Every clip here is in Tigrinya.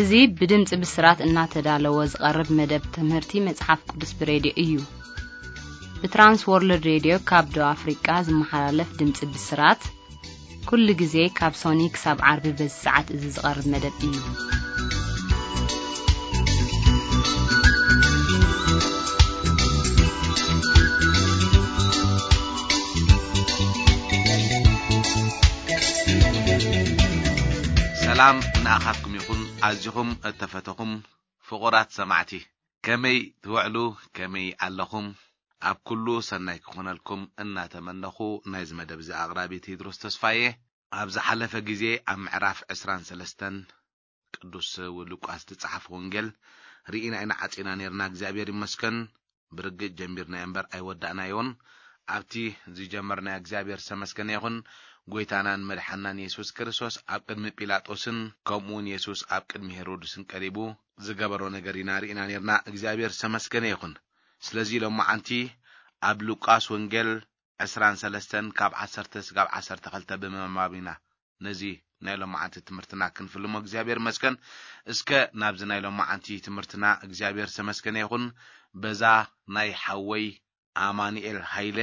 እዚ ብድምጺ ብስራት እናተዳለወ ዝቐርብ መደብ ትምህርቲ መጽሓፍ ቅዱስ ብሬድዮ እዩ። ብትራንስ ወርልድ ሬድዮ ካብ ደቡብ ኣፍሪቃ ዝመሓላለፍ ድምጺ ብስራት፣ ኩሉ ግዜ ካብ ሶኒ ክሳብ ዓርቢ በዚ ሰዓት እዚ ዝቐርብ መደብ እዩ። ሰላም ንኣኻትኩም ይኹን፣ ኣዚኹም እተፈተኹም ፍቑራት ሰማዕቲ። ከመይ ትውዕሉ? ከመይ ኣለኹም? ኣብ ኩሉ ሰናይ ክኾነልኩም እናተመነኹ፣ ናይዚ መደብ እዚ ኣቕራቢ ቴድሮስ ተስፋየ። ኣብ ዝሓለፈ ግዜ ኣብ ምዕራፍ ዕስራን ሰለስተን ቅዱስ ሉቃስ ዝጸሓፈ ወንጌል ርኢና ኢና ዓጺና ነርና። እግዚኣብሔር ይመስገን። ብርግጽ ጀሚርናዮ እምበር ኣይወዳእናዮን። ኣብቲ ዝጀመርናዮ እግዚኣብሔር ዝተመስገነ ይኹን። ጎይታናን መድሓናን የሱስ ክርስቶስ ኣብ ቅድሚ ጲላጦስን ከምኡ እውን የሱስ ኣብ ቅድሚ ሄሮድስን ቀሪቡ ዝገበሮ ነገር ኢና ርኢና ነርና። እግዚኣብሔር ዝተመስገነ ይኹን። ስለዚ ሎማዓንቲ ኣብ ሉቃስ ወንጌል ዕስራን ሰለስተን ካብ ዓሰርተ ስጋብ ዓሰርተ ክልተ ብምንባብ ኢና ነዚ ናይ ሎማዓንቲ ትምህርትና ክንፍልሞ እግዚኣብሔር ይመስገን። እስከ ናብዚ ናይ ሎማዓንቲ ትምህርትና እግዚኣብሔር ዝተመስገነ ይኹን። በዛ ናይ ሓወይ ኣማኑኤል ሃይለ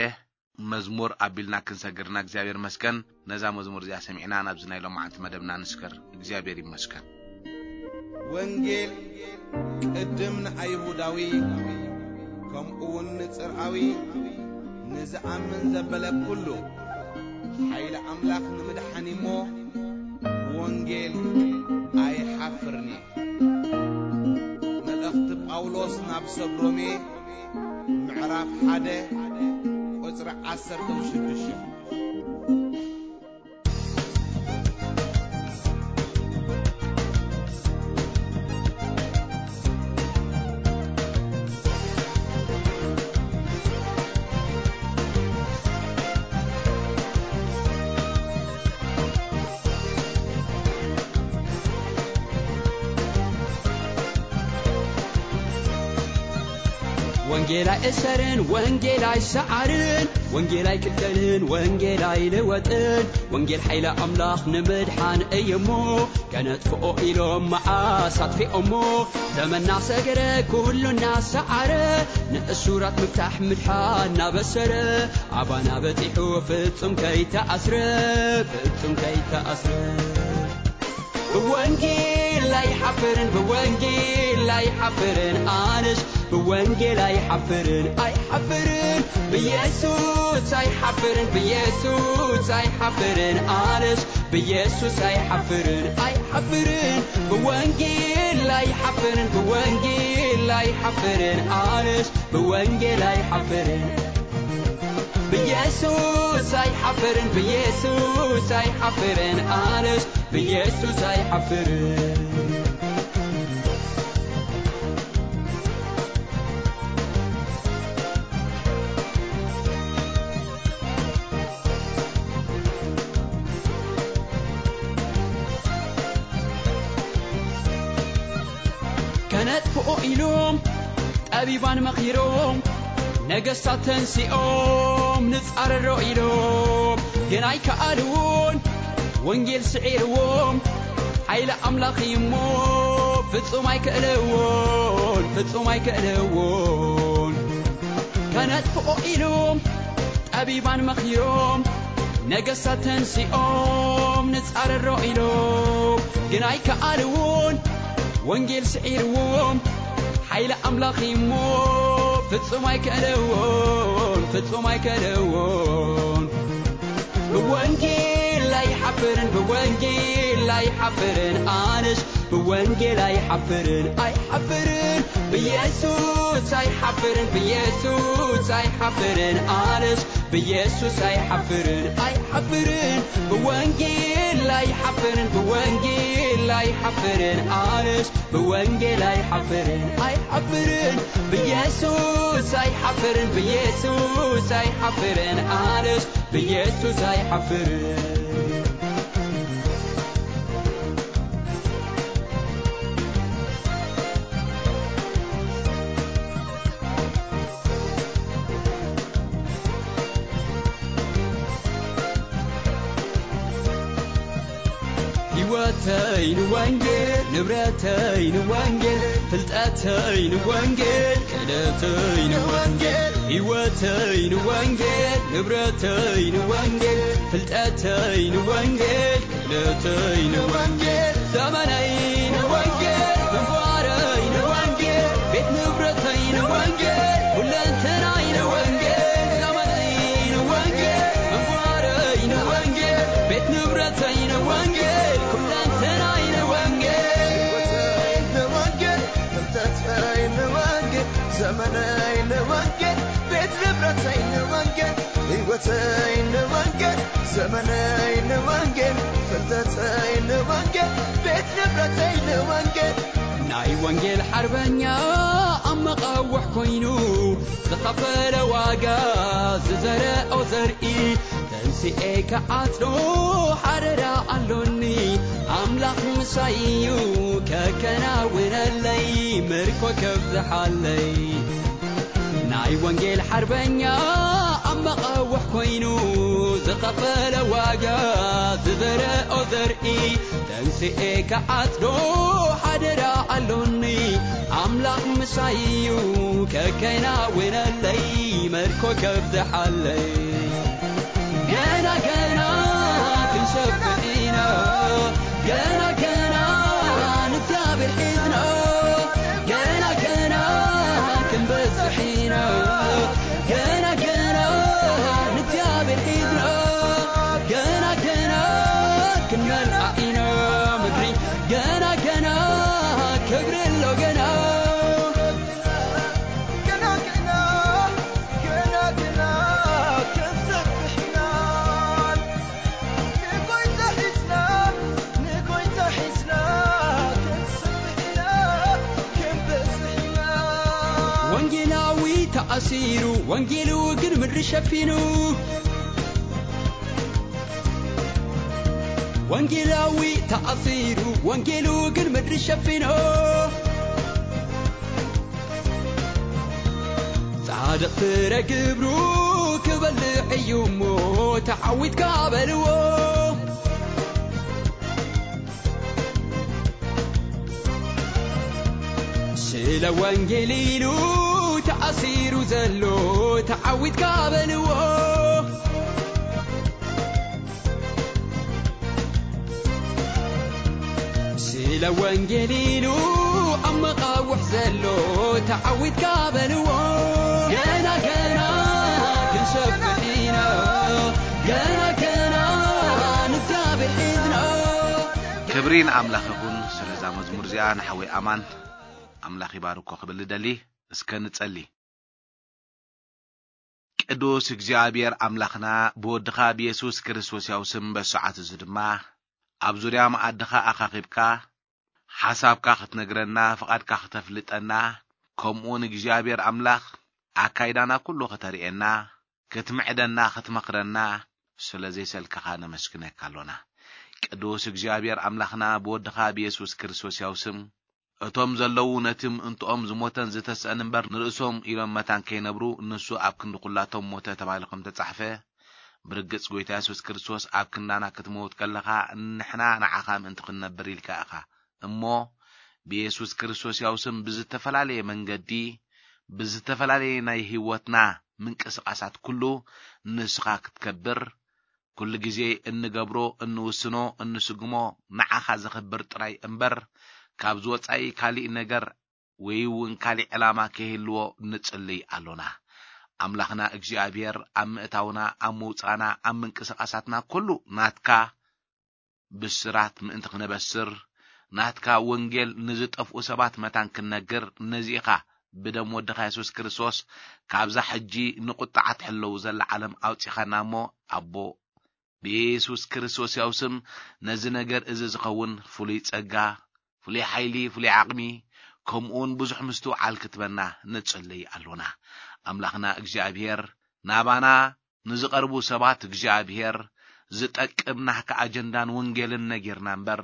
መዝሙር ኣቢልና ክንሰግርና እግዚኣብሔር ይመስገን። ነዛ መዝሙር እዚኣ ሰሚዕና ናብዚ ናይ ሎማዓንቲ መደብና ንስገር። እግዚኣብሔር ይመስገን። ወንጌል ቅድም ንኣይሁዳዊ ከምኡ እውን ንጽርኣዊ ንዝኣምን ዘበለ ኩሉ ሓይሊ ኣምላኽ ንምድሓን እሞ ብወንጌል ኣይሓፍርን እየ። መልእኽቲ ጳውሎስ ናብ ሰብ ሮሜ ምዕራፍ ሓደ ቁጽሪ ዓሰርተ ሽዱሽተ። ወንጌል ኣይእሰርን፣ ወንጌል ኣይሰዓርን፣ ወንጌል ኣይቅተልን፣ ወንጌል ኣይልወጥን። ወንጌል ሓይሊ ኣምላኽ ንምድሓን እዩ እሞ፣ ከነጥፍኦ ኢሎም መዓስ ኣጥፊኦሞ። ዘመና ሰገረ ኩሉ እናሰዓረ፣ ንእሱራት ምፍታሕ ምድሓን እናበሰረ፣ ኣባና በጺሑ ፍጹም ከይተኣስረ፣ ፍጹም ከይተኣስረ። ብወንጌል ኣይሓፍርን፣ ብወንጌል ኣይሓፍርን ኣነስ፣ ብወንጌል ኣይሓፍርን፣ ኣይሓፍርን። ብኢየሱስ ኣይሓፍርን፣ ብኢየሱስ ኣይሓፍርን ኣነስ፣ ብኢየሱስ ኣይሓፍርን፣ ኣይሓፍርን። ብወንጌል ኣይሓፍርን፣ ብወንጌል ኣይሓፍርን ኣነስ፣ ብወንጌል ኣይሓፍርን። ብኢየሱስ ኣይሓፍርን፣ ብኢየሱስ ኣይሓፍርን ኣነስ፣ ብኢየሱስ ኣይሓፍርን። ከነጥፍኦ ኢሎም ጠቢባን መኺሮም፣ ነገስታት ተንሲኦም ንጻረሮ ኢሎም፣ ግን ኣይከኣልዎን። ወንጌል ስዒርዎም፣ ሓይሊ ኣምላኽ እዩ እሞ፣ ፍጹም ኣይከእልዎን፣ ፍጹም ኣይከእልዎን። ከነጥፍኦ ኢሎም ጠቢባን መኺሮም፣ ነገስታት ተንሲኦም ንጻረሮ ኢሎም፣ ግን ኣይከኣልዎን። ወንጌል ስዒርዎም፣ ሓይሊ ኣምላኽ እሞ፣ ፍጹም ኣይከእልዎን፣ ፍጹም ኣይከእልዎን። ብወንጌል ኣይሓፍርን፣ ብወንጌል ኣይሓፍርን ኣነስ፣ ብወንጌል ኣይሓፍርን፣ ኣይሓፍርን። ብኢየሱስ ኣይሓፍርን፣ ብኢየሱስ ኣይሓፍርን ኣነስ፣ ብኢየሱስ ኣይሓፍርን፣ ኣይሓፍርን። ብወንጌል ኣይሓፍርን፣ ብወንጌል ኣይሓፍርን ኣነስ፣ ብወንጌል ኣይሓፍርን፣ ኣይሓፍርን። ብኢየሱስ ኣይሓፍርን፣ ብኢየሱስ ኣይሓፍርን ኣነስ፣ ብኢየሱስ ኣይሓፍርን። ህይወተይ ንወንጌል፣ ንብረተይ ንወንጌል፣ ፍልጠተይ ንወንጌል፣ ክእለተይ ንወንጌል። ህይወተይ ንወንጌል፣ ንብረተይ ንወንጌል፣ ፍልጠተይ ንወንጌል፣ ክእለተይ ንወንጌል። ዘመነይ ንወንጌል፣ ግንባረይ ንወንጌል፣ ቤት ንብረተይ ንወንጌል፣ ኩለንተናይ ንወንጌል። ዘመነይ ንወንጌል፣ ግንባረይ ንወንጌል፣ ቤት ንብረተይ ንወንጌል፣ ኩለንተናይ ንወንጌል። ህይወተይ ንወንጌል፣ ፍልጠተይ ንወንጌል፣ ዘመነይ ንወንጌል፣ ቤት ንብረተይ ንወንጌል። ህይወተይ ንወንጌል፣ ዘመነይ ንወንጌል፣ ፍልጠተይ ንወንጌል፣ ቤት ንብረተይ ንወንጌል። ናይ ወንጌል ሓርበኛ ኣብ መቓውሕ ኮይኑ ዝኸፈለ ዋጋ፣ ዝዘረኦ ዘርኢ ተንሲኤ ክዓጽዶ ሓደራ ኣሎኒ። ኣምላኽ ምሳይ እዩ ከከናውነለይ፣ ምርኮ ከብዝሓለይ። ናይ ወንጌል ሓርበኛ ኣብ መቓውሕ ኮይኑ ዝኸፈለ ዋጋ፣ ዝዘረኦ ዘርኢ ተንስኤ ክዓጽዶ ሓደራ ኣሎኒ። ኣምላኽ ምሳይ እዩ ከከናውነለይ፣ ምርኮ ከብዝሓለይ። ገና ገና ክንሰብሕ ኢና፣ ገና ገና ንእግዚኣብሔር ሒዝና፣ ገና ገና ክንበዝሕ ኢና፣ ገና ገና ንእግዚኣብሔር ሒዝና፣ ገና ገና ክንመልኣ ኢና ምድሪ፣ ገና ገና ክብሪ ኣሎ ገና። ገና ገና፣ ገና ገና ክንሰብሕ ኢና። ንጎይታ ሒዝና፣ ንጎይታ ሒዝና ክንሰብሕ ኢና፣ ክንበዝሕ ኢና። ወንጌላዊ ተኣሲሩ፣ ወንጌሉ ግን ምድሪ ሸፊኑ። ወንጌላዊ ተኣሲሩ፣ ወንጌሉ ግን ምድሪ ሸፊኑ። ጻድቕ ፍረ ግብሩ ክበልዕ እዩ እሞ፣ ተዓዊትካ በልዎ። ስለ ወንጌል ኢሉ ተኣሲሩ ዘሎ፣ ተዓዊትካ በልዎ። ስለ ወንጌል ኢሉ ኣብ መቓውሕ ዘሎ፣ ተዓዊትካ በልዎ። ገና ገና ክንሰብሕ ኢና፣ ገና ገና ንእግዚኣብሔር ሒዝና። ክብሪ ንኣምላኽ ይኹን። ስለዛ መዝሙር እዚኣ ንሓወይ ኣማን ኣምላኽ ይባርኮ ክብል እደሊ። እስከ ንጸሊ። ቅዱስ እግዚኣብሔር ኣምላኽና፣ ብወድኻ ብየሱስ ክርስቶስ ያው ስም በሰዓት እዚ ድማ ኣብ ዙርያ መኣድኻ ኣኻኺብካ ሓሳብካ ክትነግረና፣ ፍቓድካ ክተፍልጠና፣ ከምኡውን እግዚኣብሔር ኣምላኽ ኣካይዳና ኩሉ ከተርእየና፣ ክትምዕደና፣ ክትመኽረና ስለ ዘይሰልከኻ ነመስግነካ ኣሎና። ቅዱስ እግዚኣብሔር ኣምላኽና፣ ብወድኻ ብየሱስ ክርስቶስ ያው ስም እቶም ዘለዉ ነቲ ምእንትኦም ዝሞተን ዝተስአን እምበር ንርእሶም ኢሎም መታን ከይነብሩ፣ ንሱ ኣብ ክንዲ ኩላቶም ሞተ ተባሂሉ ከም ተጻሕፈ፣ ብርግጽ ጐይታ የሱስ ክርስቶስ ኣብ ክንዳና ክትመውት ከለኻ፣ ንሕና ንዓኻ ምእንቲ ክንነብር ኢልካ ኢኻ። እሞ ብየሱስ ክርስቶስ ያው ስም ብዝተፈላለየ መንገዲ፣ ብዝተፈላለየ ናይ ህይወትና ምንቅስቓሳት ኩሉ ንስኻ ክትከብር፣ ኩሉ ግዜ እንገብሮ፣ እንውስኖ፣ እንስጉሞ ንዓኻ ዘኽብር ጥራይ እምበር፣ ካብዚ ወጻኢ ካሊእ ነገር ወይ እውን ካሊእ ዕላማ ከይህልዎ ንጽልይ ኣሎና። ኣምላኽና እግዚኣብሔር ኣብ ምእታውና፣ ኣብ ምውጻእና፣ ኣብ ምንቅስቓሳትና ኩሉ ናትካ ብስራት ምእንቲ ክነበስር፣ ናትካ ወንጌል ንዝጠፍኡ ሰባት መታን ክንነግር፣ ነዚ ኢኻ ብደም ወድኻ የሱስ ክርስቶስ ካብዛ ሕጂ ንቁጥዓ ትሕለው ዘላ ዓለም ኣውጺኻና እሞ፣ ኣቦ፣ ብየሱስ ክርስቶስ ያው ስም ነዚ ነገር እዚ ዝኸውን ፍሉይ ጸጋ፣ ፍሉይ ሓይሊ፣ ፍሉይ ዓቕሚ፣ ከምኡውን ብዙሕ ምስትውዓል ክትበና ንጽልይ ኣሎና። ኣምላኽና እግዚኣብሔር ናባና ንዝቐርቡ ሰባት እግዚኣብሔር ዝጠቅም ናህካ ኣጀንዳን ወንጌልን ነጊርና እምበር፣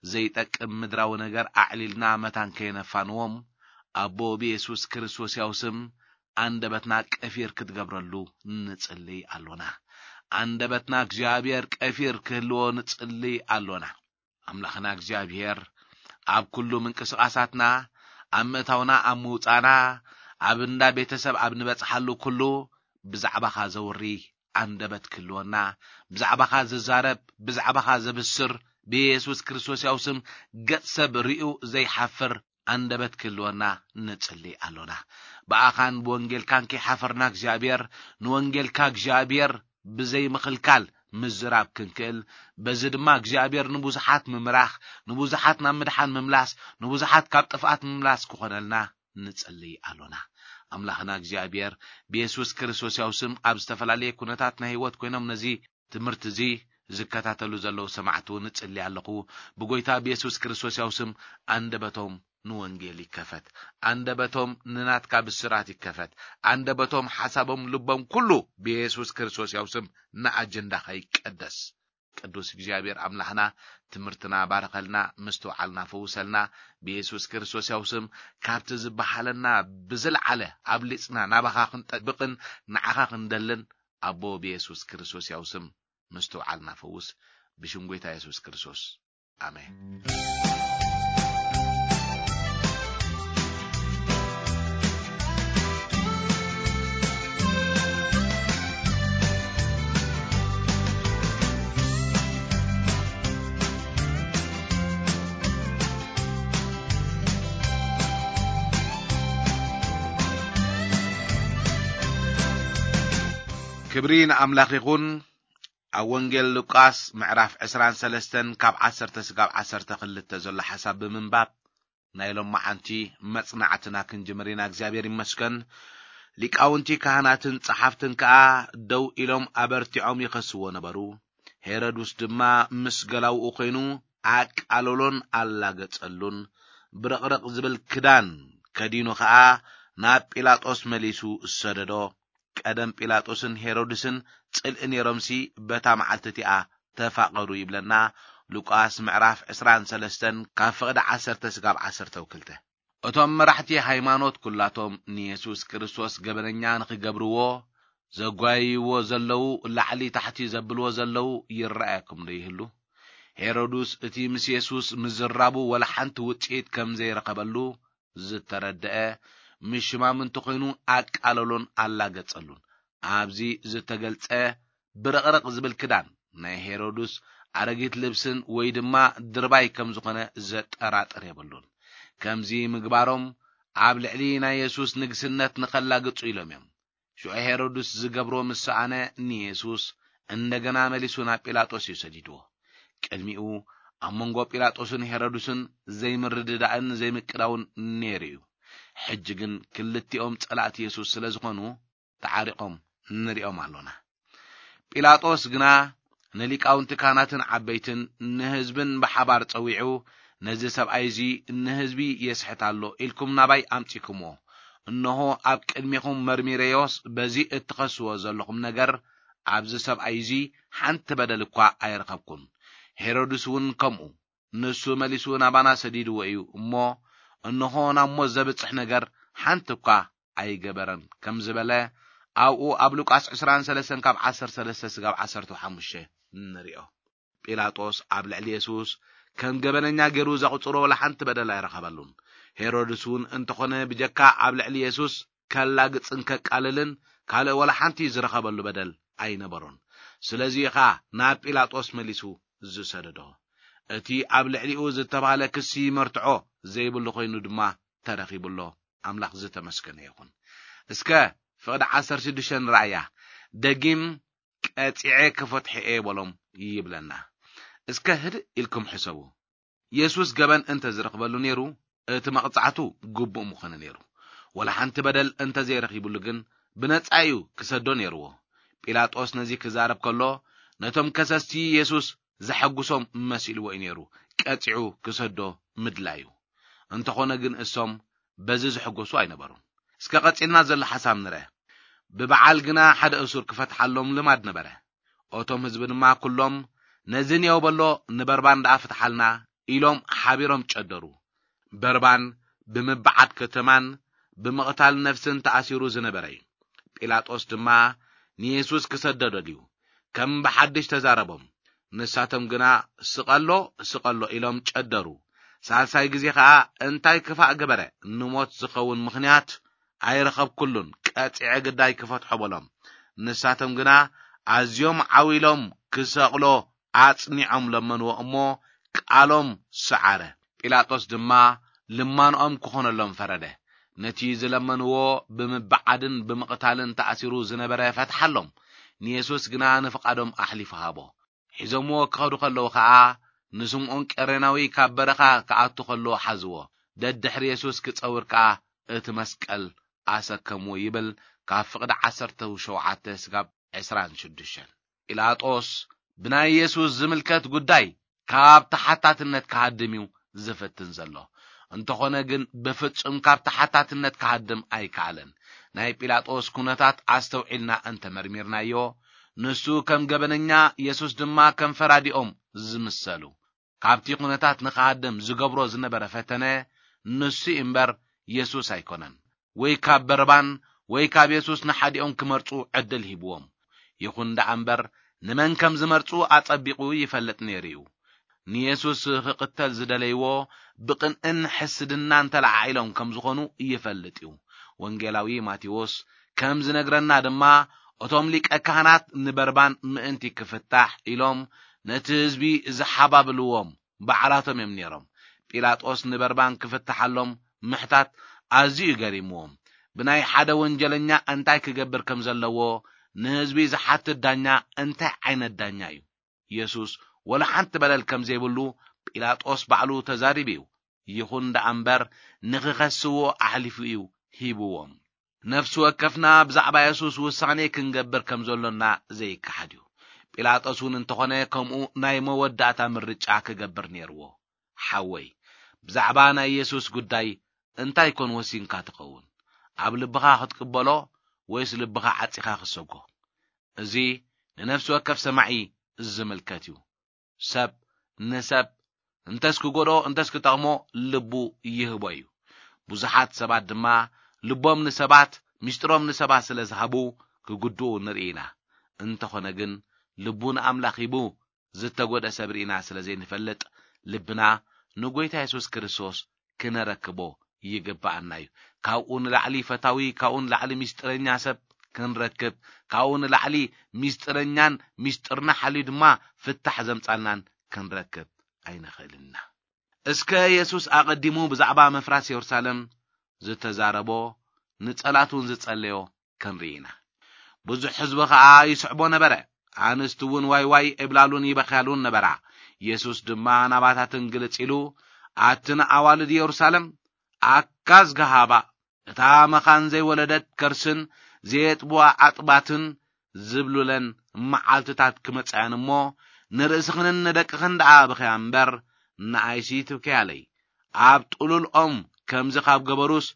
ዘይጠቅም ምድራዊ ነገር ኣዕሊልና መታን ከየነፋንዎም፣ ኣቦ ብየሱስ ክርስቶስ ያው ስም ኣንደበትና ቀፊር ክትገብረሉ ንጽልይ ኣሎና። ኣንደበትና እግዚኣብሔር ቀፊር ክህልዎ ንጽልይ ኣሎና። ኣምላኽና እግዚኣብሔር ኣብ ኩሉ ምንቅስቓሳትና፣ ኣብ ምእታውና፣ ኣብ ምውጻና፣ ኣብ እንዳ ቤተሰብ ኣብ ንበጽሓሉ ኩሉ ብዛዕባኻ ዘውሪ ኣንደበት ክህልወና፣ ብዛዕባኻ ዝዛረብ፣ ብዛዕባኻ ዘብስር፣ ብየሱስ ክርስቶስ ያው ስም ገጽ ሰብ ርእዩ ዘይሓፍር ኣንደበት ክህልወና ንጽሊ ኣሎና። ብኣኻን ብወንጌልካን ከይሓፈርና እግዚኣብሔር፣ ንወንጌልካ እግዚኣብሔር ብዘይምኽልካል ምዝራብ ክንክእል፣ በዚ ድማ እግዚኣብሔር ንብዙሓት ምምራኽ፣ ንብዙሓት ናብ ምድሓን ምምላስ፣ ንብዙሓት ካብ ጥፍኣት ምምላስ ክኾነልና ንጽሊ ኣሎና። ኣምላኽና እግዚኣብሔር ብየሱስ ክርስቶስ ያው ስም ኣብ ዝተፈላለየ ኩነታት ናይ ህይወት ኮይኖም ነዚ ትምህርቲ እዚ ዝከታተሉ ዘለዉ ሰማዕቲ እውን እጽሊ ኣለኹ። ብጎይታ ብየሱስ ክርስቶስ ያው ስም ኣንደበቶም ንወንጌል ይከፈት። ኣንደበቶም ንናትካ ብስራት ይከፈት። ኣንደበቶም፣ ሓሳቦም፣ ልቦም ኩሉ ብየሱስ ክርስቶስ ያው ስም ንኣጀንዳኻ ይቀደስ። ቅዱስ እግዚኣብሔር ኣምላኽና ትምህርትና ባርኸልና፣ ምስትውዓልና ፈውሰልና። ብየሱስ ክርስቶስ ያው ስም ካብቲ ዝበሃለና ብዝለዓለ ኣብሊጽና ናባኻ ክንጠብቕን ንዓኻ ክንደልን ኣቦ ብየሱስ ክርስቶስ ያው ስም ምስትውዓልና ፈውስ። ብሽም ጎይታ የሱስ ክርስቶስ ኣሜን። ክብሪ ንኣምላኽ ይኹን። ኣብ ወንጌል ሉቃስ ምዕራፍ ዕስራን ሰለስተን ካብ ዓሰርተ ስጋብ ዓሰርተ ክልተ ዘሎ ሓሳብ ብምንባብ ናይ ሎማዓንቲ መጽናዕትና ክንጅምር ኢና። እግዚኣብሔር ይመስገን። ሊቃውንቲ ካህናትን ጸሓፍትን ከኣ ደው ኢሎም ኣበርቲዖም ይኸስዎ ነበሩ። ሄሮድስ ድማ ምስ ገላውኡ ኮይኑ ኣቃለሎን ኣላገጸሉን። ብርቕርቕ ዝብል ክዳን ከዲኑ ኸኣ ናብ ጲላጦስ መሊሱ ሰደዶ። ቀደም ጲላጦስን ሄሮድስን ጽልኢ ነይሮምሲ በታ መዓልቲ እቲኣ ተፋቐሩ ይብለና ሉቃስ ምዕራፍ ዕስራን ሰለስተን ካብ ፍቕዲ ዓሰርተ ስጋብ ዓሰርተ ክልተ። እቶም መራሕቲ ሃይማኖት ኩላቶም ንየሱስ ክርስቶስ ገበነኛ ንኽገብርዎ ዘጓይይዎ ዘለዉ፣ ላዕሊ ታሕቲ ዘብልዎ ዘለዉ ይረኣየኩም ዶ ይህሉ? ሄሮድስ እቲ ምስ የሱስ ምዝራቡ ወላ ሓንቲ ውጽኢት ከም ዘይረኸበሉ ዝተረድአ፣ ምስ ሽማምንቲ ኾይኑ ኣቃለሎን ኣላገጸሉን። ኣብዚ ዝተገልጸ ብርቕርቕ ዝብል ክዳን ናይ ሄሮድስ ኣረጊት ልብስን ወይ ድማ ድርባይ ከም ዝኾነ ዘጠራጥር የብሉን። ከምዚ ምግባሮም ኣብ ልዕሊ ናይ የሱስ ንግስነት ንኸላግጹ ኢሎም እዮም። ሽዑ ሄሮድስ ዝገብሮ ምስ ሰኣነ ንየሱስ እንደገና መሊሱ ናብ ጲላጦስ እዩ ሰዲድዎ። ቅድሚኡ ኣብ መንጎ ጲላጦስን ሄሮድስን ዘይምርድዳእን ዘይምቅዳውን ነይሩ እዩ። ሕጂ ግን ክልቲኦም ጸላእቲ የሱስ ስለ ዝኾኑ ተዓሪቖም ንሪኦም ኣሎና። ጲላጦስ ግና ንሊቃውንቲ ካህናትን ዓበይትን ንህዝብን ብሓባር ጸዊዑ፣ "ነዚ ሰብኣይ እዚ ንህዝቢ የስሕት ኣሎ ኢልኩም ናባይ ኣምጺእኩምዎ። እንሆ ኣብ ቅድሜኹም መርሚረዮስ፣ በዚ እትኸስዎ ዘለኹም ነገር ኣብዚ ሰብኣይ እዚ ሓንቲ በደል እኳ ኣይረኸብኩን። ሄሮድስ እውን ከምኡ። ንሱ መሊሱ ናባና ሰዲድዎ እዩ እሞ፣ እንሆ ናብ ሞት ዘብጽሕ ነገር ሓንቲ እኳ ኣይገበረን" ከም ዝበለ ኣብኡ ኣብ ሉቃስ ዕስራን ሰለስተን ካብ ዓሰርተ ሰለስተ ስጋብ ዓሰርተ ሓሙሽተ ንሪኦ። ጲላጦስ ኣብ ልዕሊ የሱስ ከም ገበነኛ ገይሩ ዘቑጽሮ ወላ ሓንቲ በደል ኣይረኸበሉን። ሄሮድስ እውን እንተኾነ ብጀካ ኣብ ልዕሊ የሱስ ከላግጽን ከቃልልን ካልእ ወላ ሓንቲ ዝረኸበሉ በደል ኣይነበሮን። ስለዚ ኢኻ ናብ ጲላጦስ መሊሱ ዝሰደዶ። እቲ ኣብ ልዕሊኡ ዝተባህለ ክሲ መርትዖ ዘይብሉ ኮይኑ ድማ ተረኺቡ ኣሎ። ኣምላኽ ዝተመስገነ ይኹን። እስከ ፍቕዲ ዓሰርተ ሽዱሽተ ንረኣያ። ደጊም ቀጺዐ ክፈትሖ እየ በሎም ይብለና። እስከ ህድእ ኢልኩም ሕሰቡ። የሱስ ገበን እንተ ዝረኽበሉ ነይሩ፣ እቲ መቕጻዕቱ ግቡእ ምኾነ ነይሩ። ወላ ሓንቲ በደል እንተ ዘይረኺቡሉ ግን፣ ብነጻ እዩ ክሰዶ ነይርዎ። ጲላጦስ ነዚ ክዛረብ ከሎ፣ ነቶም ከሰስቲ የሱስ ዘሐጉሶም መሲልዎ እዩ ነይሩ፣ ቀጺዑ ክሰዶ ምድላዩ። እንተኾነ ግን እሶም በዚ ዝሕጎሱ ኣይነበሩን። እስከ ቀጺልና ዘሎ ሓሳብ ንርአ። ብበዓል ግና ሓደ እሱር ክፈትሓሎም ልማድ ነበረ። እቶም ህዝቢ ድማ ኩሎም፣ "ነዚ ንየው በሎ፣ ንበርባን ደኣ ፍትሓልና" ኢሎም ሓቢሮም ጨደሩ። በርባን ብምብዓት ከተማን ብምቕታል ነፍስን ተኣሲሩ ዝነበረ እዩ። ጲላጦስ ድማ ንየሱስ ክሰዶ ደልዩ። ከም ብሓድሽ ተዛረቦም። ንሳቶም ግና፣ "ስቐሎ፣ ስቐሎ" ኢሎም ጨደሩ። ሳልሳይ ግዜ ኸኣ፣ "እንታይ ክፋእ ገበረ? ንሞት ዝኸውን ምኽንያት ኣይረኸብኩሉን፣ ቀጺዐ ግዳይ ክፈትሖ" በሎም። ንሳቶም ግና ኣዝዮም ዓው ኢሎም ክሰቕሎ ኣጽኒዖም ለመንዎ እሞ፣ ቃሎም ሰዓረ። ጲላጦስ ድማ ልማንኦም ክኾነሎም ፈረደ። ነቲ ዝለመንዎ ብምብዓድን ብምቕታልን ተኣሲሩ ዝነበረ ፈትሓሎም። ንየሱስ ግና ንፍቓዶም ኣሕሊፉ ሃቦ። ሒዞምዎ ክኸዱ ከለዉ ኸኣ፣ ንስምዖን ቀሬናዊ ካብ በረኻ ክኣቱ ከሎ ሓዝዎ። ደድሕሪ የሱስ ክጸውር ከኣ እቲ መስቀል ኣሰከምዎ ይብል፣ ካብ ፍቕዲ ዓሰርተ ሸውዓተ ስጋብ ዕስራን ሽዱሽተን። ጲላጦስ ብናይ የሱስ ዝምልከት ጉዳይ ካብ ተሓታትነት ክሃድም እዩ ዝፍትን ዘሎ። እንተኾነ ግን ብፍጹም ካብ ተሓታትነት ክሃድም ኣይከኣለን። ናይ ጲላጦስ ኩነታት ኣስተውዒልና እንተመርሚርናዮ፣ ንሱ ከም ገበነኛ፣ የሱስ ድማ ከም ፈራዲኦም ዝምሰሉ። ካብቲ ኩነታት ንኽሃድም ዝገብሮ ዝነበረ ፈተነ ንሱ እምበር የሱስ ኣይኮነን። ወይ ካብ በርባን ወይ ካብ የሱስ ንሓዲኦም ክመርጹ ዕድል ሂብዎም። ይኹን ደኣ እምበር፣ ንመን ከም ዝመርጹ ኣጸቢቑ ይፈልጥ ነይሩ እዩ። ንየሱስ ክቕተል ዝደለይዎ ብቕንእን ሕስድናን ተለዓዒሎም ከም ዝኾኑ ይፈልጥ እዩ። ወንጌላዊ ማቴዎስ ከም ዝነግረና ድማ፣ እቶም ሊቀ ካህናት ንበርባን ምእንቲ ክፍታሕ ኢሎም ነቲ ህዝቢ ዝሓባብልዎም ባዕላቶም እዮም ነይሮም። ጲላጦስ ንበርባን ክፍትሓሎም ምሕታት ኣዝዩ ገሪምዎም። ብናይ ሓደ ወንጀለኛ እንታይ ክገብር ከም ዘለዎ ንህዝቢ ዝሓትት ዳኛ እንታይ ዓይነት ዳኛ እዩ? የሱስ ወላ ሓንቲ በደል ከም ዘይብሉ ጲላጦስ ባዕሉ ተዛሪቡ እዩ። ይኹን ደኣ እምበር፣ ንኽኸስዎ ኣሕሊፉ እዩ ሂብዎም። ነፍሲ ወከፍና ብዛዕባ የሱስ ውሳኔ ክንገብር ከም ዘሎና ዘይከሓድ እዩ። ጲላጦስ እውን እንተኾነ ከምኡ ናይ መወዳእታ ምርጫ ክገብር ነይርዎ። ሓወይ፣ ብዛዕባ ናይ የሱስ ጉዳይ እንታይ ኮን ወሲንካ ትኸውን? ኣብ ልብኻ ክትቅበሎ ወይስ ልብኻ ዓጺኻ ክትሰጎ? እዚ ንነፍሲ ወከፍ ሰማዒ ዝምልከት እዩ። ሰብ ንሰብ እንተስ ክጎድኦ እንተስ ክጠቕሞ ልቡ ይህቦ እዩ። ብዙሓት ሰባት ድማ ልቦም ንሰባት፣ ምስጢሮም ንሰባት ስለ ዝሃቡ ክጉድኡ ንርኢ ኢና። እንተኾነ ግን ልቡ ንኣምላኽ ሂቡ ዝተጎድአ ሰብ ርኢና ስለ ዘይንፈልጥ፣ ልብና ንጎይታ የሱስ ክርስቶስ ክነረክቦ ይግብኣና እዩ። ካብኡ ንላዕሊ ፈታዊ፣ ካብኡ ንላዕሊ ምስጢረኛ ሰብ ክንረክብ፣ ካብኡ ንላዕሊ ምስጢረኛን ምስጢርና ሓልዩ ድማ ፍታሕ ዘምጻልናን ክንረክብ ኣይንኽእልን ኢና። እስከ የሱስ ኣቐዲሙ ብዛዕባ ምፍራስ የሩሳሌም ዝተዛረቦ፣ ንጸላቱ እውን ዝጸለዮ ክንርኢ ኢና። ብዙሕ ህዝቢ ኸኣ ይስዕቦ ነበረ። ኣንስቲ እውን ዋይ ዋይ እብላሉን ይበኽያሉን ነበራ። የሱስ ድማ ናባታተን ግልጽ ኢሉ፣ ኣትን ኣዋልድ የሩሳሌም፣ ኣካዝ ገሃባ፣ እታ መኻን ዘይወለደት ከርስን ዘየጥብዋ ኣጥባትን ዝብሉለን መዓልትታት ክመጻ እየን እሞ፣ ንርእስኽንን ንደቅኽን ደኣ ብኸያ እምበር፣ ንኣይሲ ትብከያለይ። ኣብ ጥሉል ኦም ከምዚ ካብ ገበሩስ፣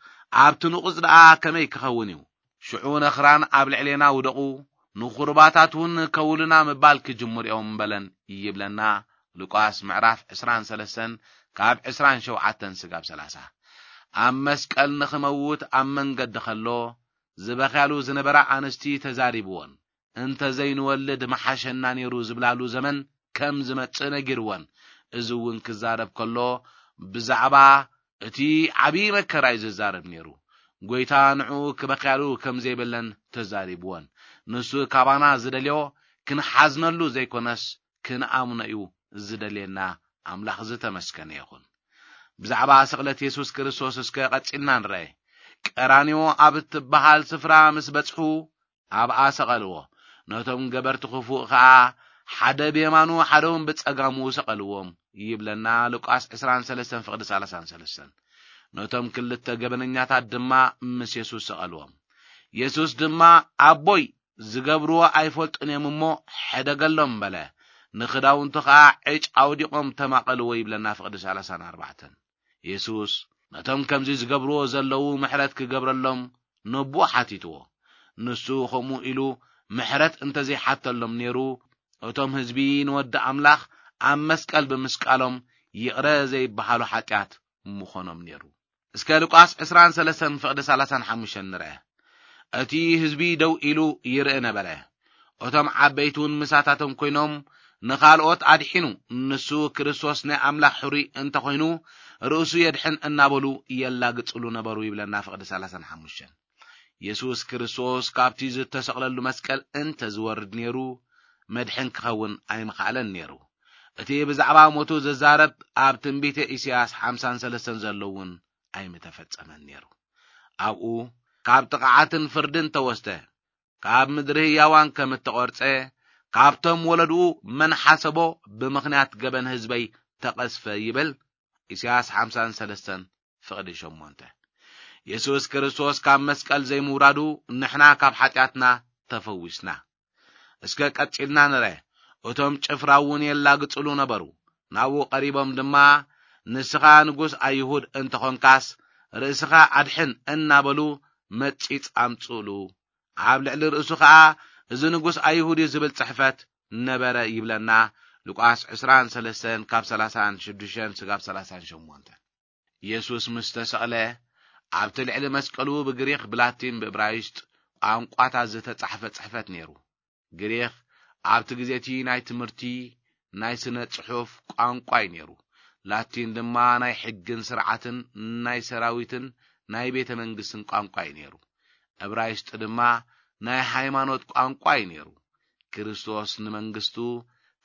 ኣብቲ ንቑጽ ደኣ ከመይ ክኸውን እዩ? ሽዑ ነኽራን ኣብ ልዕሌና ውደቑ፣ ንኹርባታት እውን ከውሉና ምባል ክጅምሩ እዮም በለን ይብለና። ሉቃስ ምዕራፍ ዕስራን ሰለስተን ካብ ዕስራን ሸውዓተን ስጋብ ሰላሳ። ኣብ መስቀል ንኽመውት ኣብ መንገዲ ከሎ ዝበኽያሉ ዝነበራ ኣንስቲ ተዛሪብዎን፣ "እንተ ዘይንወልድ መሓሸና ነይሩ" ዝብላሉ ዘመን ከም ዝመጽእ ነጊርወን። እዚ እውን ክዛረብ ከሎ ብዛዕባ እቲ ዓብዪ መከራ እዩ ዝዛረብ ነይሩ። ጎይታ ንዕኡ ክበኽያሉ ከም ዘይብለን ተዛሪብወን። ንሱ ካባና ዝደልዮ ክንሓዝነሉ ዘይኮነስ ክንኣምኖ እዩ ዝደልየና። ኣምላኽ ዝተመስገነ ይኹን። ብዛዕባ ስቕለት የሱስ ክርስቶስ እስከ ቀጺልና ንርአ። ቀራንዮ ኣብ እትበሃል ስፍራ ምስ በጽሑ ኣብኣ ሰቐልዎ። ነቶም ገበርቲ ክፉእ ኸኣ ሓደ ብየማኑ ሓደ እውን ብጸጋሙ ሰቐልዎም ይብለና ሉቃስ ዕስራን ሰለስተን ፍቕዲ ሰላሳን ሰለስተን። ነቶም ክልተ ገበነኛታት ድማ ምስ የሱስ ሰቐልዎም። የሱስ ድማ፣ "ኣቦይ፣ ዝገብርዎ ኣይፈልጡን እዮም እሞ ሕደገሎም" በለ። ንኽዳውንቱ ኸኣ ዕጭ ኣውዲቖም ተማቐልዎ ይብለና ፍቕዲ ሰላሳን ኣርባዕተን። የሱስ ነቶም ከምዚ ዝገብርዎ ዘለዉ ምሕረት ክገብረሎም ነቦኡ ሓቲትዎ። ንሱ ከምኡ ኢሉ ምሕረት እንተዘይሓተሎም ነይሩ፣ እቶም ህዝቢ ንወዲ ኣምላኽ ኣብ መስቀል ብምስቃሎም ይቕረ ዘይበሃሉ ሓጢኣት ምኾኖም ነይሩ። እስከ ሉቃስ ዕስራን ሰለስተን ፍቕዲ ሰላሳን ሓሙሽተን ንርአ። እቲ ህዝቢ ደው ኢሉ ይርኢ ነበረ። እቶም ዓበይቲ እውን ምሳታቶም ኮይኖም ንኻልኦት ኣድሒኑ፣ ንሱ ክርስቶስ ናይ ኣምላኽ ሕሩይ እንተኾይኑ፣ ርእሱ የድሕን እናበሉ የላግጽሉ ነበሩ ይብለና ፍቕዲ ሰላሳን ሓሙሽተን። የሱስ ክርስቶስ ካብቲ ዝተሰቕለሉ መስቀል እንተ ዝወርድ ነይሩ፣ መድሕን ክኸውን ኣይምኸኣለን ነይሩ። እቲ ብዛዕባ ሞቱ ዝዛረብ ኣብ ትንቢተ ኢሳያስ ሓምሳን ሰለስተን ዘሎ እውን ኣይምተፈጸመን ነይሩ። ኣብኡ ካብ ጥቕዓትን ፍርድን ተወስደ፣ ካብ ምድሪ ህያዋን ከም እተቖርጸ፣ ካብቶም ወለድኡ መን ሓሰቦ፣ ብምኽንያት ገበን ህዝበይ ተቐስፈ ይብል። ኢሳያስ ሓምሳን ሰለስተን ፍቕዲ ሸሞንተ። የሱስ ክርስቶስ ካብ መስቀል ዘይምውራዱ ንሕና ካብ ሓጢኣትና ተፈዊስና። እስከ ቀጺልና ንረ። እቶም ጭፍራ እውን የላግጽሉ ነበሩ። ናብኡ ቀሪቦም ድማ፣ "ንስኻ ንጉስ ኣይሁድ እንተኾንካስ፣ ርእስኻ ኣድሕን" እናበሉ መጺጽ ኣምጽእሉ። ኣብ ልዕሊ ርእሱ ኸኣ፣ "እዚ ንጉስ ኣይሁድ እዩ" ዝብል ጽሕፈት ነበረ ይብለና። ሉቃስ ዕስራን ሰለስተን ካብ ሰላሳን ሽዱሽተን ስጋብ ሰላሳን ሸሞንተን። የሱስ ምስ ተሰቕለ፣ ኣብቲ ልዕሊ መስቀሉ ብግሪኽ፣ ብላቲን፣ ብእብራይስጥ ቋንቋታት ዝተጻሕፈ ጽሕፈት ነይሩ። ግሪኽ ኣብቲ ግዜ እቲ ናይ ትምህርቲ፣ ናይ ስነ ጽሑፍ ቋንቋ እዩ ነይሩ። ላቲን ድማ ናይ ሕግን ስርዓትን፣ ናይ ሰራዊትን ናይ ቤተ መንግስትን ቋንቋ እዩ ነይሩ። እብራይስጥ ድማ ናይ ሃይማኖት ቋንቋ እዩ ነይሩ። ክርስቶስ ንመንግስቱ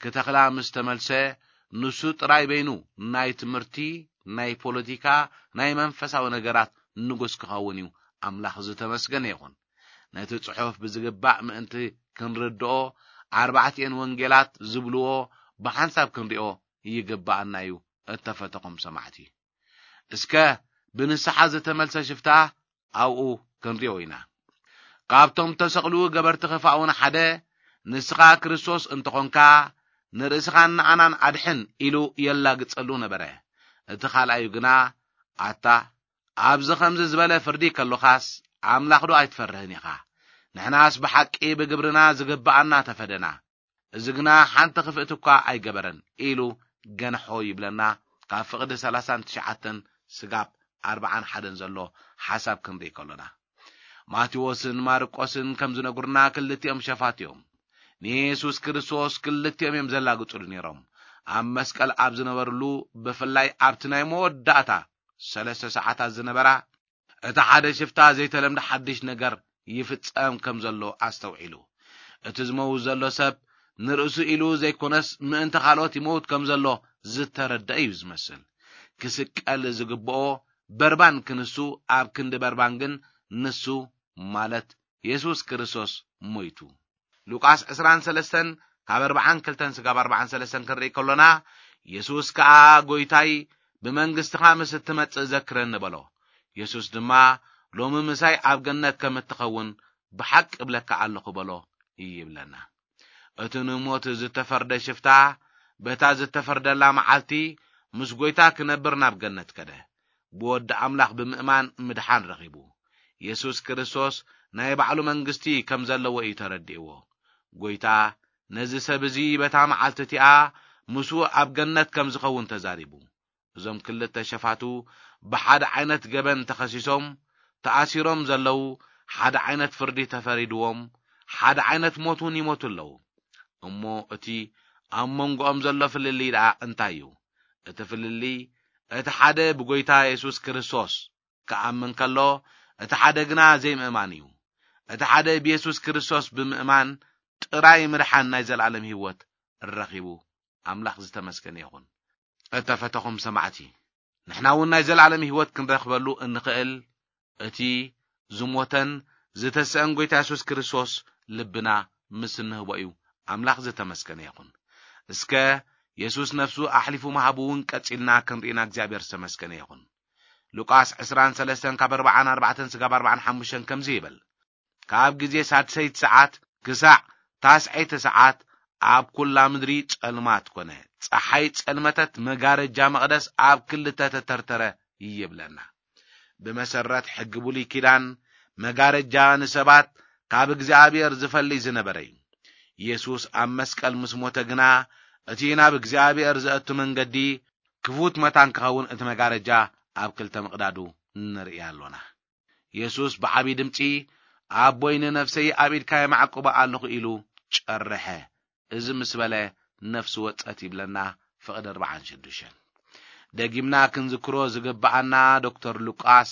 ክተኽላ ምስ ተመልሰ፣ ንሱ ጥራይ በይኑ ናይ ትምህርቲ፣ ናይ ፖለቲካ፣ ናይ መንፈሳዊ ነገራት ንጉስ ክኸውን እዩ። ኣምላኽ ዝተመስገነ ይኹን። ነቲ ጽሑፍ ብዝግባእ ምእንቲ ክንርድኦ፣ ኣርባዕቲኤን ወንጌላት ዝብልዎ ብሓንሳብ ክንሪኦ ይግብኣና እዩ፣ እተፈተኹም ሰማዕቲ። እስከ ብንስሓ ዝተመልሰ ሽፍታ ኣብኡ ክንሪኦ ኢና። ካብቶም ተሰቕሉ ገበርቲ ኽፋእ እውን ሓደ፣ "ንስኻ ክርስቶስ እንተኾንካ፣ ንርእስኻን ንኣናን ኣድሕን" ኢሉ የላግጸሉ ነበረ። እቲ ካልኣዩ ግና፣ "ኣታ፣ ኣብዚ ኸምዚ ዝበለ ፍርዲ ከሎኻስ፣ ኣምላኽ ዶ ኣይትፈርህን ኢኻ? ንሕናስ ብሓቂ ብግብርና ዝግብኣና ተፈደና፣ እዚ ግና ሓንቲ ክፍእቲ እኳ ኣይገበረን" ኢሉ ገንሖ ይብለና። ካብ ፍቕዲ ሰላሳን ትሽዓተን ስጋብ ኣርባዓን ሓደን ዘሎ ሓሳብ ክንርኢ ከሎና፣ ማቴዎስን ማርቆስን ከም ዝነግሩና፣ ክልቲኦም ሸፋት እዮም። ንየሱስ ክርስቶስ ክልቲኦም እዮም ዘላግጹሉ ነይሮም። ኣብ መስቀል ኣብ ዝነበርሉ፣ ብፍላይ ኣብቲ ናይ መወዳእታ ሰለስተ ሰዓታት ዝነበራ፣ እቲ ሓደ ሽፍታ ዘይተለምደ ሓድሽ ነገር ይፍጸም ከም ዘሎ ኣስተውዒሉ። እቲ ዝመውት ዘሎ ሰብ ንርእሱ ኢሉ ዘይኮነስ፣ ምእንቲ ካልኦት ይመውት ከም ዘሎ ዝተረድአ እዩ ዝመስል። ክስቀል ዝግብኦ በርባን ክንሱ፣ ኣብ ክንዲ በርባን ግን ንሱ፣ ማለት የሱስ ክርስቶስ፣ ሞይቱ። ሉቃስ ዕስራን ሰለስተን ካብ ኣርባዓን ክልተን ስጋብ ኣርባዓን ሰለስተን ክንርኢ ከሎና፣ የሱስ ከኣ፣ "ጐይታይ፣ ብመንግስትኻ ምስ እትመጽእ ዘክረኒ" በሎ። የሱስ ድማ፣ "ሎሚ ምሳይ ኣብ ገነት ከም እትኸውን ብሓቂ እብለካ ኣለኹ" በሎ ይብለና። እቲ ንሞት ዝተፈርደ ሽፍታ፣ በታ ዝተፈርደላ መዓልቲ ምስ ጐይታ ክነብር ናብ ገነት ከደ። ብወዲ ኣምላኽ ብምእማን ምድሓን ረኺቡ። የሱስ ክርስቶስ ናይ ባዕሉ መንግስቲ ከም ዘለዎ እዩ ተረዲእዎ። ጐይታ ነዚ ሰብ እዚ በታ መዓልቲ እቲኣ ምስኡ ኣብ ገነት ከም ዝኸውን ተዛሪቡ። እዞም ክልተ ሸፋቱ ብሓደ ዓይነት ገበን ተኸሲሶም፣ ተኣሲሮም ዘለዉ፣ ሓደ ዓይነት ፍርዲ ተፈሪድዎም፣ ሓደ ዓይነት ሞት እውን ይሞቱ ኣለዉ። እሞ እቲ ኣብ መንጎኦም ዘሎ ፍልልይ ደኣ እንታይ እዩ? እቲ ፍልልይ፣ እቲ ሓደ ብጐይታ የሱስ ክርስቶስ ክኣምን ከሎ፣ እቲ ሓደ ግና ዘይምእማን እዩ። እቲ ሓደ ብየሱስ ክርስቶስ ብምእማን ጥራይ ምድሓን ናይ ዘለኣለም ህይወት ረኺቡ። ኣምላኽ ዝተመስገነ ይኹን። እተፈተኹም ሰማዕቲ፣ ንሕና እውን ናይ ዘለኣለም ህይወት ክንረኽበሉ እንኽእል፣ እቲ ዝሞተን ዝተሰአን ጐይታ የሱስ ክርስቶስ ልብና ምስ እንህቦ እዩ። ኣምላኽ ዝተመስገነ ይኹን። እስከ የሱስ ነፍሱ ኣሕሊፉ ምሃቡ እውን ቀጺልና ክንርኢና እግዚኣብሔር ዝተመስገነ ይኹን። ሉቃስ ዕስራን ሰለስተን ካብ ኣርባዓን ኣርባዕተን ስጋብ ኣርባዓን ሓሙሽተን ከምዚ ይብል፣ ካብ ግዜ ሳድሰይቲ ሰዓት ክሳዕ ታስዐይቲ ሰዓት ኣብ ኩላ ምድሪ ጸልማት ኮነ። ጸሓይ ጸልመተት፣ መጋረጃ መቕደስ ኣብ ክልተ ተተርተረ ይብለና። ብመሰረት ሕጊ ብሉይ ኪዳን፣ መጋረጃ ንሰባት ካብ እግዚኣብሔር ዝፈልይ ዝነበረ እዩ። የሱስ ኣብ መስቀል ምስ ሞተ ግና፣ እቲ ናብ እግዚኣብሔር ዘእቱ መንገዲ ክፉት መታን ክኸውን፣ እቲ መጋረጃ ኣብ ክልተ ምቕዳዱ ንርኢ ኣሎና። የሱስ ብዓቢ ድምጺ፣ "ኣቦይ፣ ንነፍሰይ ኣብ ኢድካ የማዕቁባ ኣለኹ" ኢሉ ጨርሐ። እዚ ምስ በለ፣ ነፍሲ ወጸት ይብለና ፍቕዲ ኣርባዓን ሽዱሽተን። ደጊምና ክንዝክሮ ዝግብኣና ዶክተር ሉቃስ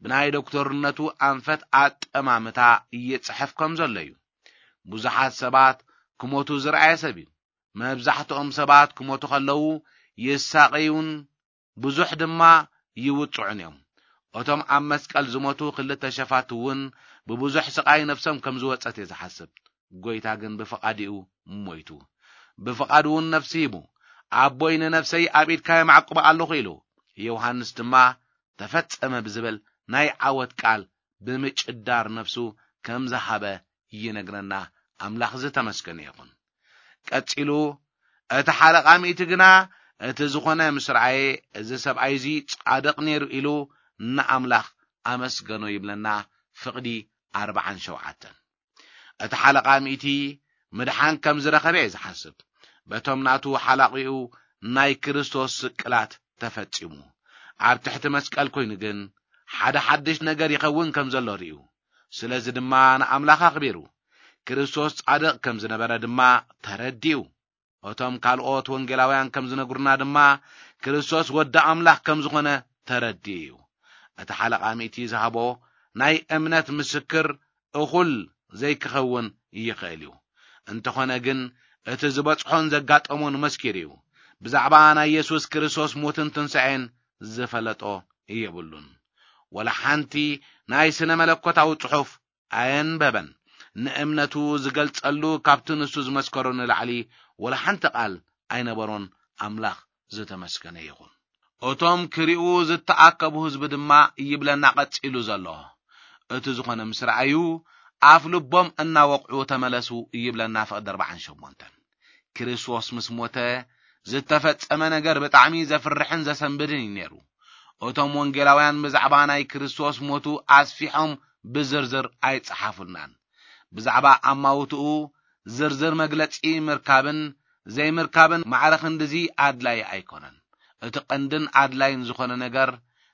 ብናይ ዶክተርነቱ ኣንፈት ኣጠማምታ ይጽሕፍ ከም ዘሎ እዩ። ብዙሓት ሰባት ክሞቱ ዝረኣየ ሰብ እዩ። መብዛሕትኦም ሰባት ክሞቱ ከለዉ ይሳቐዩን ብዙሕ ድማ ይውጽዑን እዮም። እቶም ኣብ መስቀል ዝሞቱ ክልተ ሸፋቱ እውን ብብዙሕ ስቓይ ነፍሶም ከም ዝወጸት እየ ዝሓስብ። ጎይታ ግን ብፍቓዲኡ ሞይቱ። ብፍቓዱ እውን ነፍሲ ሂቡ። ኣቦይ ንነፍሰይ ኣብ ኢድካ የማዕቁባ ኣለኹ ኢሉ። ዮሃንስ ድማ ተፈጸመ ብዝብል ናይ ዓወት ቃል ብምጭዳር ነፍሱ ከም ዝሃበ ይነግረና። ኣምላኽ ዝተመስገነ ይኹን። ቀጺሉ እቲ ሓለቓ ሚእቲ ግና እቲ ዝኾነ ምስ ረኣየ፣ እዚ ሰብኣይ እዚ ጻድቕ ነይሩ ኢሉ ንኣምላኽ ኣመስገኖ ይብለና። ፍቕዲ ኣርባዓን ሸውዓተን። እቲ ሓለቓ ሚእቲ ምድሓን ከም ዝረኸበ እየ ዝሓስብ። በቶም ናቱ ሓላቒኡ ናይ ክርስቶስ ስቅላት ተፈጺሙ። ኣብ ትሕቲ መስቀል ኮይኑ ግን ሓደ ሓድሽ ነገር ይኸውን ከም ዘሎ ርእዩ። ስለዚ ድማ ንኣምላኽ ኣኽቢሩ። ክርስቶስ ጻድቕ ከም ዝነበረ ድማ ተረዲኡ። እቶም ካልኦት ወንጌላውያን ከም ዝነግሩና ድማ ክርስቶስ ወዲ ኣምላኽ ከም ዝኾነ ተረዲኡ እዩ። እቲ ሓለቓ ሚእቲ ዝሃቦ ናይ እምነት ምስክር እኹል ዘይክኸውን ይኽእል እዩ። እንተኾነ ግን እቲ ዝበጽሖን ዘጋጠሞን መስኪሩ እዩ። ብዛዕባ ናይ የሱስ ክርስቶስ ሞትን ትንሳኤን ዝፈለጦ የብሉን። ወላ ሓንቲ ናይ ስነ መለኮታዊ ጽሑፍ ኣየንበበን። ንእምነቱ ዝገልጸሉ ካብቲ ንሱ ዝመስከሮ ንላዕሊ ወላ ሓንቲ ቃል ኣይነበሮን። ኣምላኽ ዝተመስገነ ይኹን። እቶም ክሪኡ ዝተኣከቡ ህዝቢ ድማ ይብለና ቀጺሉ ዘሎ። እቲ ዝኾነ ምስ ረኣዩ ኣፍ ልቦም እናወቕዑ ተመለሱ ይብለና ፍቕዲ ኣርባዓን ሸሞንተን። ክርስቶስ ምስ ሞተ ዝተፈጸመ ነገር ብጣዕሚ ዘፍርሕን ዘሰንብድን እዩ ነይሩ። እቶም ወንጌላውያን ብዛዕባ ናይ ክርስቶስ ሞቱ ኣስፊሖም ብዝርዝር ኣይጸሓፉልናን። ብዛዕባ ኣማውትኡ ዝርዝር መግለጺ ምርካብን ዘይምርካብን ማዕረ ክንድዚ ኣድላዪ ኣይኮነን። እቲ ቀንድን ኣድላይን ዝኾነ ነገር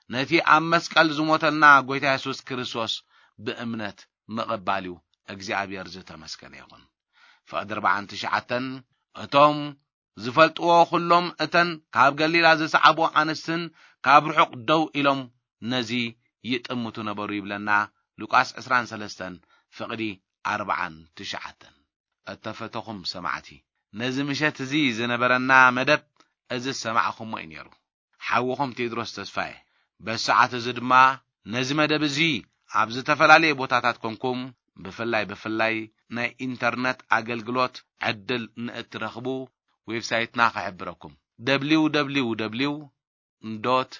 ነቲ ኣብ መስቀል ዝሞተልና ጎይታ የሱስ ክርስቶስ ብእምነት ምቕባል እዩ። እግዚኣብሔር ዝተመስገነ ይኹን። ፍቕዲ ኣርባዓን ትሽዓተን። እቶም ዝፈልጥዎ ኩሎም እተን ካብ ገሊላ ዝሰዓቡ ኣንስትን ካብ ርሑቕ ደው ኢሎም ነዚ ይጥምቱ ነበሩ ይብለና ሉቃስ ዕስራን ሰለስተን ፍቕዲ ኣርባዓን ትሽዓተን። እተፈተኹም ሰማዕቲ፣ ነዚ ምሸት እዚ ዝነበረና መደብ እዚ ዝሰማዕኹሞ እዩ ነይሩ። ሓውኹም ቴድሮስ ተስፋየ። በዚ ሰዓት እዚ ድማ ነዚ መደብ እዚ ኣብ ዝተፈላለየ ቦታታት ኮንኩም ብፍላይ ብፍላይ ናይ ኢንተርነት ኣገልግሎት ዕድል ንእትረኽቡ ዌብሳይትና ክሕብረኩም www dot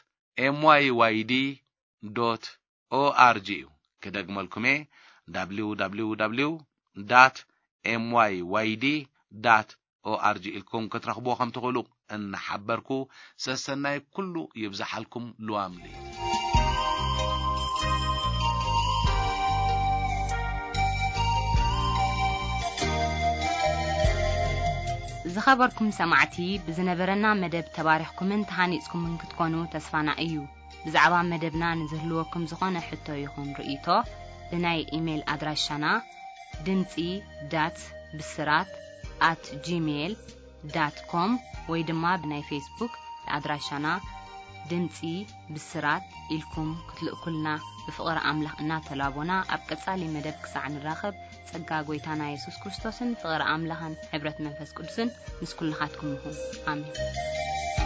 myyd dot org እዩ። ክደግመልኩም እየ፣ www dot myyd dot org ኢልኩም ክትረኽብዎ ከም ትኽእሉ እናሓበርኩ፣ ሰሰናይ ኩሉ ይብዝሓልኩም። ልዋም ልዩ። ዝኸበርኩም ሰማዕቲ፣ ብዝነበረና መደብ ተባሪኽኩምን ተሃኒጽኩምን ክትኮኑ ተስፋና እዩ። ብዛዕባ መደብና ንዝህልወኩም ዝኾነ ሕቶ ይኹን ርእይቶ፣ ብናይ ኢሜይል ኣድራሻና ድምጺ ዳት ብስራት ኣት ጂሜይል ዳት ኮም ወይ ድማ ብናይ ፌስቡክ ኣድራሻና ድምጺ ብስራት ኢልኩም ክትልእኩልና ብፍቕሪ ኣምላኽ እናተላቦና፣ ኣብ ቀጻሊ መደብ ክሳዕ ንራኸብ፣ ጸጋ ጐይታና የሱስ ክርስቶስን ፍቕሪ ኣምላኽን ሕብረት መንፈስ ቅዱስን ምስ ኩልኻትኩም ይኹን። ኣሜን።